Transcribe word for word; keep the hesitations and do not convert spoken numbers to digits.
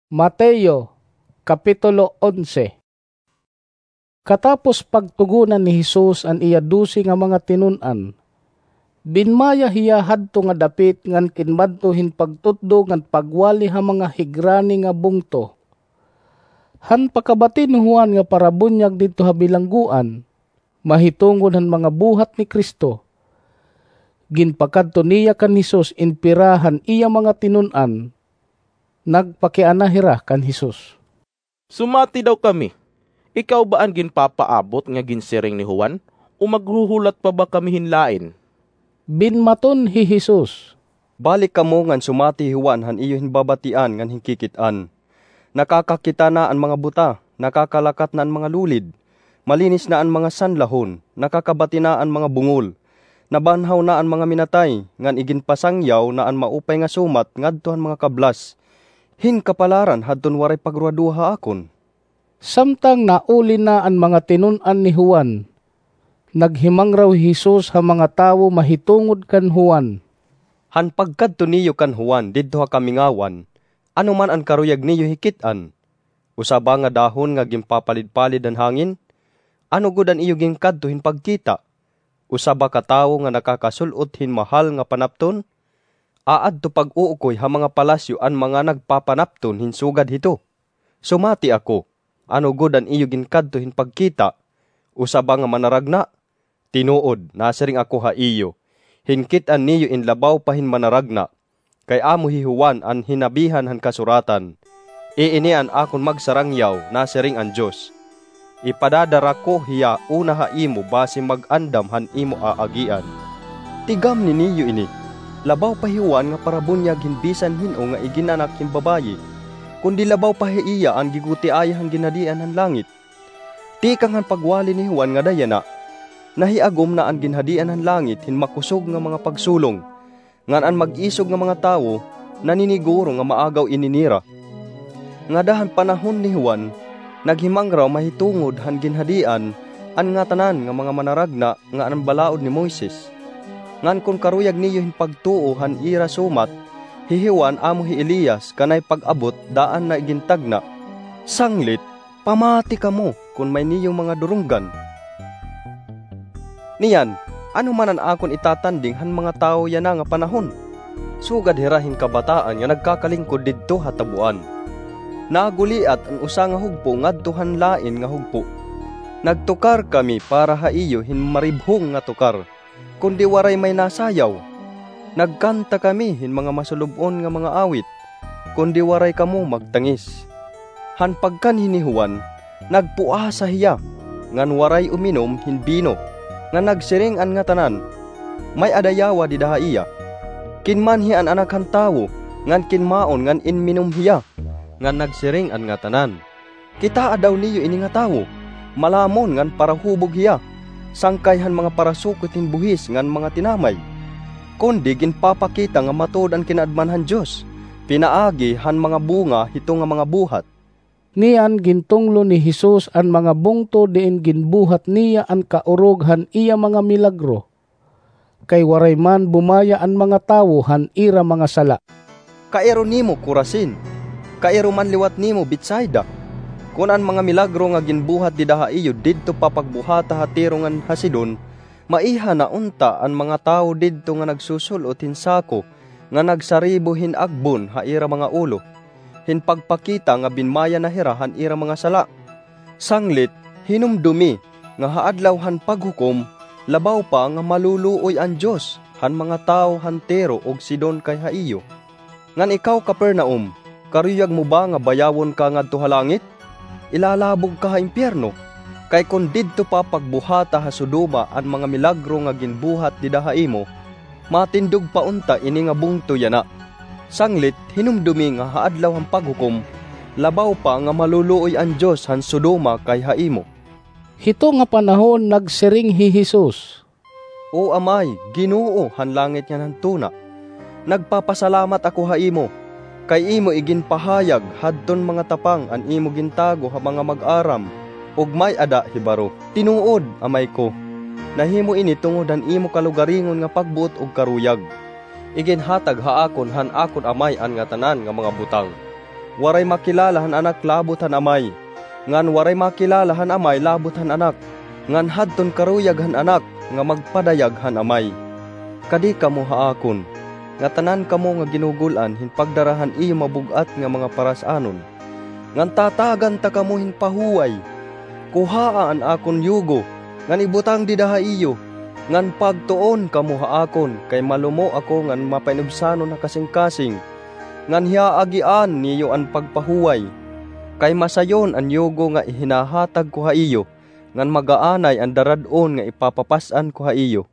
Mateo, Kapitulo onse. Katapos pagtugonan ni Jesus an iya dose nga mga tinun-an, binmaya hiya hadto nga dapit ngan kinmadto hin pagtutdo ngan pagwali ha mga higrani nga bungto. Han pakabati ni Juan nga parabunyag didto ha bilanggoan, mahitungod han mga buhat ni Cristo, ginpakadto niya kan Jesus in pira han iya mga tinun-an. Nagpakiana hira kan Jesus. Sumati daw kami. Ikaw ba an ginpapaabot nga ginsiring ni Juan, o maghuhulat pa ba kami hin lain? Binmaton hi Jesus. Balik kamo ngan sumati hi Juan han iyo hin babatian ngan hin kikit-an. Nakakakita na an mga buta, nakakalakat na an mga lulid, malinis na an mga sanlahon, nakakabati na an mga bungol, nabanhaw na an mga minatay, ngan iginpasangyaw na an maupay nga sumat ngadto han mga kablas. Hin kapalaran hadton waray pagruhaduha ha akon. Samtang nauli na an mga tinun-an ni Juan, naghimangraw hi Jesus ha mga tawo mahitungod kan Juan. Han pagkadto niyo kan Juan didto ha kamingawan, ano man an karuyag niyo hikit-an? Usa ba nga dahon nga ginpapalidpalid han hangin? Ano gud an iyo ginkadto hin pagkita? Usa ba ka tawo nga nakakasul-ot hin mahal nga panapton? Aadto pag-uukoy ha mga palasyo an mga nagpapanapton hin sugad hito. Sumati ako, ano gud an iyo ginkadto hin pagkita? Usa ba nga manaragna? Tinuod, nasiring ako ha iyo, hinkit-an niyo in labaw pa hin manaragna, kay amo hi Juan an hinabihan han kasuratan. Iini an akon magsarangyaw, nasiring an Dios. Ipadadara ko hiya una ha imo basi mag-andam han imo aagian. Tigamni niyo ini, labaw pa hi Juan nga parabunyag hin bisan hin-o nga iginanak hin babaye, kundi labaw pa ha iya an gigutiaya han ginhadian han langit. Tikang han pagwali ni Juan ngada yana, nahiagom na an ginhadian han langit hin makusog nga mga pagsulong, ngan an mag-isog nga mga tawo naniniguro nga maagaw ini nira. Ngada han panahon ni Juan, naghimangraw mahitungod han ginhadian an ngatanan nga mga manaragna nga an balaod ni Moises. Ngan kon karuyag niyo hin pagtuo han ira sumat, hi Juan amo hi Elias kanay pag-abot daan na igintagna. Sanglit, pamati kamo kon may niyo mga durunggan. Niyan, ano man an akon itatanding han mga tawo yana nga panahon? Sugad hira hin kabataan nga nagkakalingkod didto ha tabuan. Naguliat an usa nga hugpo ngadto han lain nga hugpo. Nagtukar kami para ha iyo hin maribhong nga tukar, kundi waray may nasayaw. Nagkanta kami hin mga masulub-on nga mga awit, kundi waray kamo magtangis. Han pagkanhi ni Juan, nagpuasa hiya, ngan waray uminom hin bino, ngan nagsiring an ngatanan, may-ada yawa dida ha iya. Kinmanhi an Anak han Tawo, ngan kinmaon ngan inminom hiya. Ngan nagsiring an ngatanan, kitaa daw niyo ini nga tawo, malamon ngan parahubog hiya, sangkay han mga parasukot hin buhis ngan mga tinamay. Kundi ginpapakita nga matuod an kinaadman han Dios, pinaagi han mga bunga hito nga mga buhat. Niyan gintunglo ni Jesus an mga bungto diin ginbuhat niya an kaorog han iya mga milagro, kay waray man bumaya an mga tawo han ira mga sala. Kairo nimo, Corazin! Kairo man liwat nimo, Betsaida! Kon an mga milagro nga ginbuhat dida ha iyo didto pa pagbuhata ha Tiro ngan ha Sidon, maiha na unta an mga tawo didto nga nagsusul-ot hin sako nga nagsaribo hin agbon ha ira mga ulo, hin pagpakita nga binmaya na hira han ira mga sala. Sanglit, hinumdomi nga ha Adlaw han Paghukom, labaw pa nga maluluoy an Dios han mga tawo han Tiro ug Sidon kay ha iyo. Ngan ikaw, Capernaum, karuyag mo ba nga bayawon ka ngadto ha langit? Ilalabog ka ha impyerno. Kay kon didto pa pagbuhata ha Sodoma an mga milagro nga ginbuhat dida ha imo, matindog pa unta ini nga bungto yana. Sanglit, hinumdomi nga ha Adlaw han Paghukom, labaw pa nga maluluoy an Dios han Sodoma kay ha imo. Hito nga panahon nagsiring hi Jesus, O Amay, Ginoo han langit ngan han tuna, nagpapasalamat ako ha imo, kay imo iginpahayag hadton mga tapang an imo gintago ha mga mag-aram ug may-ada hibaro. Tinuod, Amay ko, nahimo ini tungod han imo kalugaringon nga pagbuot ug karuyag. Iginhatag ha akon han akon Amay an ngatanan nga mga butang. waray makilala han Anak labot han Amay, ngan waray makilala han Amay labot han Anak, ngan hadton karuyag han Anak nga magpadayag han Amay. Kadi kamo ha akon, ngatanan kamo nga ginugul-an hin pagdara han iyo mabug-at nga mga paras-anon, ngan tatagan ta kamo hin pahuway. Kuhaa an akon yugo, ngan ibutang dida ha iyo, ngan pagtuon kamo ha akon, kay malumo ako ngan mapainubsanon ha kasingkasing, ngan hiyaagian niyo an pagpahuway. Kay masayon an yugo nga ihinahatag ko ha iyo, ngan magaanay an darad-on nga ipapapas-an ko ha iyo.